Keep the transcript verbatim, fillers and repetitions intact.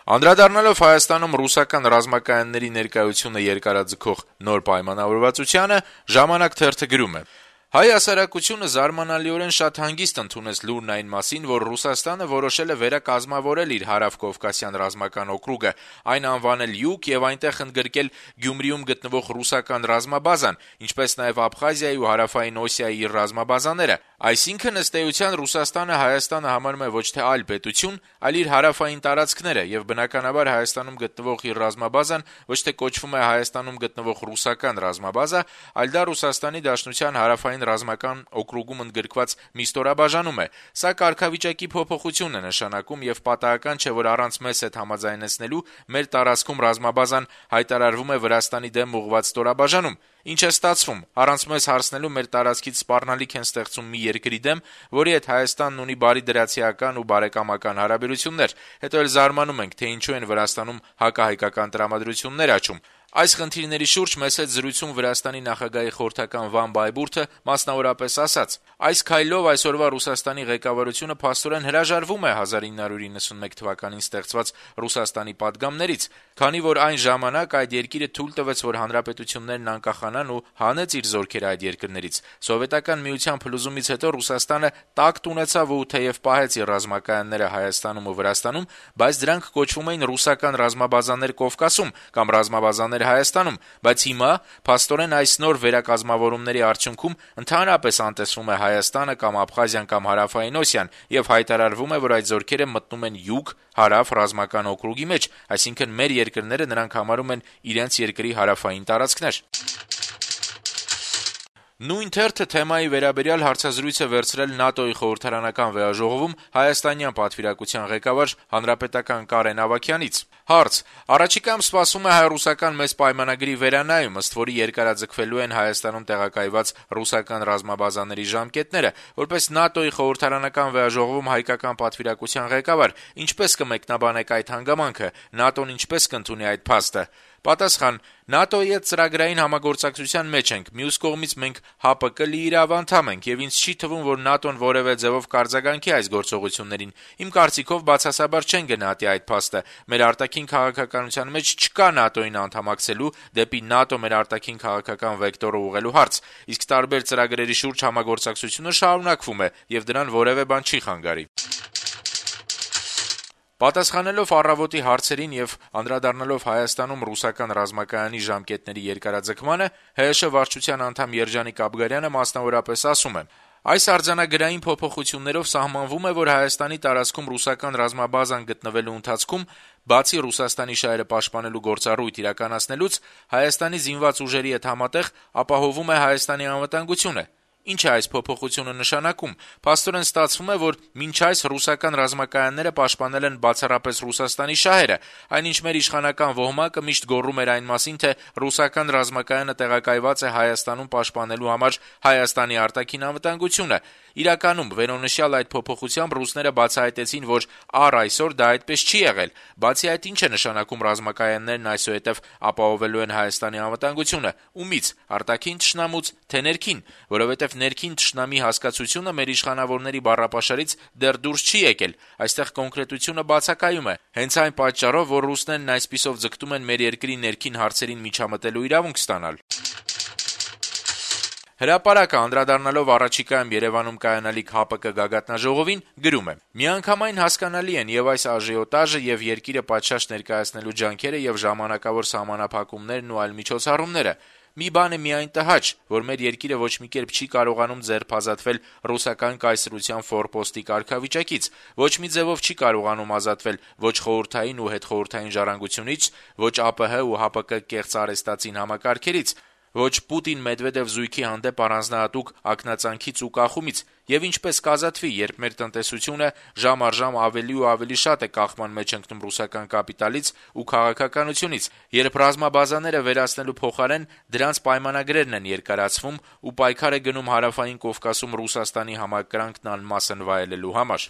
Անդրադառնալով Հայաստանում ռուսական ռազմակայանների ներկայությունը երկարաձգող նոր պայմանավորվածությանը, «Ժամանակ» թերթը գրում է. - «Հայ հասարակությունը զարմանալիորեն շատ հանգիստ ընդունեց լուրն այն մասին, որ Ռուսաստանը որոշել է վերակազմավորել իր Հարավկովկասյան ռազմական օկրուգը, այն անվանել Յուգ եւ այնտեղ ընդգրկել Գյումրիում գտնվող ռուսական ռազմաբազան, ինչպես նաեւ Աբխազիայի ու Հարավային Օսիայի իր ռազմաբազաները: Այսինքն, ըստ էության, Ռուսաստանը Հայաստանը համարում է ոչ թե այլ պետություն, այլ իր հարավային տարածքները, եւ բնականաբար Հայաստանում գտնվող իր ռազմաբազան ոչ թե կոչվում է Հայաստանում գտնվող ռուսական ռազմաբազա, այլ դա Ռուսաստանի Դաշնության հարավային ռազմական օկրուգում ընդգրկված մի ստորաբաժանում է: Սա կարգավիճակի փոփոխություն է նշանակում եւ պատահական չէ, որ առանց մեզ հետ համաձայնեցնելու մեր տարածքում ռազմաբազան հայտարարվում է Վրաստանի դեմ ուղղված ստորաբաժանում: Ինչ է ստացվում: Առանց մեզ հարցնելու մեր տարածքից սպառնալիք են ստեղծում մի երկրի դեմ, որի հետ Հայաստանն ունի բարիդրացիական ու բարեկամական հարաբերություններ: Հետո էլ զարմանում ենք, թե ինչու են Վրաստանում հակահայկական տրամադրություններ աճում»: Այս խնդիրների շուրջ մեզ հետ զրույցում Վրաստանի նախագահի խորհրդական Վան Բայբուրդը մասնավորապես ասաց. - «Այս քայլով այսօրվա Ռուսաստանի ղեկավարությունը փաստորեն հրաժարվում է հազար ինը հարյուր իննսունմեկ թվականին ստեղծված Ռուսաստանի պատգամներից, քանի որ այն ժամանակ այդ երկիրը թույլ տվեց, որ հանրապետություններն անկախանան ու հանեց իր զորքերը այդ երկրներից: Սովետական միության փլուզումից հետո Ռուսաստանը տակտ ունեցավ ու թեեւ պահեց իր ռազմակայանները Հայաստանում ու Վրաստանում, բայց դրանք կոչվում էին ռուսական ռազմաբազաներ Կովկասում կամ ռազմաբազաներ Հայաստանում: Բայց հիմա, փաստորեն, այս նոր վերակազմավորումների արդյունքում ընդհանրապես անտեսվում է Հայաստանը կամ Աբխազիան կամ Հարավային Օսիան, եւ հայտարարվում է, որ այդ զորքերը մտնում են Յուգ-Հարավ ռազմական օկրուգի մեջ, այսինքն մեր երկրները նրանք համարում են իրենց երկրի հարավային տարածքներ»: Նույն թերթը թեմայի վերաբերյալ հարցազրույց է վերցրել ՆԱՏՕ-ի խորհրդարանական վեհաժողովում հայաստանյան պատվիրակության ղեկավար հանրապետական Կարեն Ավագյանից: Հարց. - «Առաջիկայում սպասվում է հայ-ռուսական մեծ պայմանագրի վերանայում, ըստ որի երկարաձգվելու են Հայաստանում տեղակայված ռուսական ռազմաբազաների ժամկետները: Որպես ՆԱՏՕ-ի խորհրդարանական վեհաժողովում հայկական պատվիրակության ղեկավար, ինչպե՞ս կմեկնաբանեք այդ հանգամանքը: ՆԱՏՕ-ն ինչպե՞ս կընդունի այդ փաստը»: Պատասխան. - «ՆԱՏՕ-ի հետ ծրագրային համագործակցության մեջ ենք: Մյուս կողմից մենք ՀԱՊԿ լիիրավ անդամ ենք, եւ ինձ չի թվում, որ ՆԱՏՕ-ն որեւէ ձեւով կարձագանքի այս գործողություններին: Իմ կարծիքով բացասաբար չեն գնահատի այդ փաստը: Մեր արտաքին քաղաքականության մեջ չկա ՆԱՏՕ-ին անդամակցելու, դեպի ՆԱՏՕ մեր արտաքին քաղաքական վեկտորը ուղղելու հարց: Իսկ տարբեր ծրագրերի շուրջ համագործակցությունը շարունակվում է, եւ դրան որեւէ բան չի խանգարի»: Պատասխանելով «Առավոտ»-ի հարցերին եւ անդրադառնալով Հայաստանում ռուսական ռազմակայանի ժամկետների երկարաձգմանը, ՀՀՇ վարչության անդամ Երջանիկ Աբգարյանը մասնավորապես ասում է. - «Այս արձանագրային փոփոխություններով սահմանվում է, որ Հայաստանի տարածքում ռուսական ռազմաբազան գտնվելու ընթացքում, բացի Ռուսաստանի շահերը պաշտպանելու գործառույթ իրականացնելուց, Հայաստանի զինված ուժերի հետ համատեղ ապահովում է Հայաստանի անվտանգությունը: Ինչ է այս փոփոխությունը նշանակում: Փաստորեն ստացվում է, որ մինչ այս ռուսական ռազմակայանները պաշտպանել են բացառապես Ռուսաստանի շահերը, այնինչ մեր իշխանական ոհմակը միշտ գոռում էր այն մասին, թե ռուսական ռազմակայանը տեղակայված է Հայաստանում պաշտպանելու համար Հայաստանի արտաքին անվտանգությունը: Իրականում, վերոնշյալ այդ փոփոխությամբ ռուսները բացահայտեցին, որ առ այսօր դա այդպես չի եղել: Բացի այդ, ինչ է նշանակում ռազմակայաններն այսուհետեւ ապահովելու են Հայաստանի անվտանգությունը: Ումի՞ց: Արտաքին թշնամուց, թե՞ ներքին: Որովհետեւ ներքին թշնամի հասկացությունը մեր իշխանավորների բառապաշարից դեռ դուրս չի եկել: Այստեղ կոնկրետությունը բացակայում է: Հենց այն պատճառով, որ ռուսներն այսպիսով ձգտում են մեր երկրի ներքին հարցերին միջամտելու իրավունք ստանալ»: «Հրապարակ»-ը, անդրադառնալով առաջիկայում Երեւանում կայանալիք ՀԱՊԿ գագաթնաժողովին, գրում է. - «Միանգամայն հասկանալի են եւ այս աժիոտաժը, եւ երկիրը պատշաճ ներկայացնելու ջանքերը, եւ ժամանակավոր սահմանափակումներն ու այլ միջոցառումները: Մի բան է միայն տհաճ, որ մեր երկիրը ոչ մի կերպ չի կարողանում ձերբազատվել ռուսական կայսրության ֆորպոստի կարգավիճակից, ոչ մի ձեւով չի կարողանում ազատվել ոչ խորհրդային ու հետխորհրդային ժառանգությունից, ոչ ԱՊՀ ու ՀԱՊԿ կեղծ արհեստածին համակարգերից, ոչ Պուտին-Մեդվեդեւ զույգի հանդեպ առանձնահատուկ ակնածանքից ու կախումից: Եվ ինչպե՞ս կազատվի, երբ մեր տնտեսությունը ժամ առ ժամ ավելի ու ավելի շատ է կախման մեջ ընկնում ռուսական կապիտալից ու քաղաքականությունից, երբ ռազմաբազաները վերացնելու փոխարեն դրանց պայմանագրերն են երկարացվում ու պայքար է գնում Հարավային Կովկասում Ռուսաստանի համակրանքն անմասն վայելելու համար»: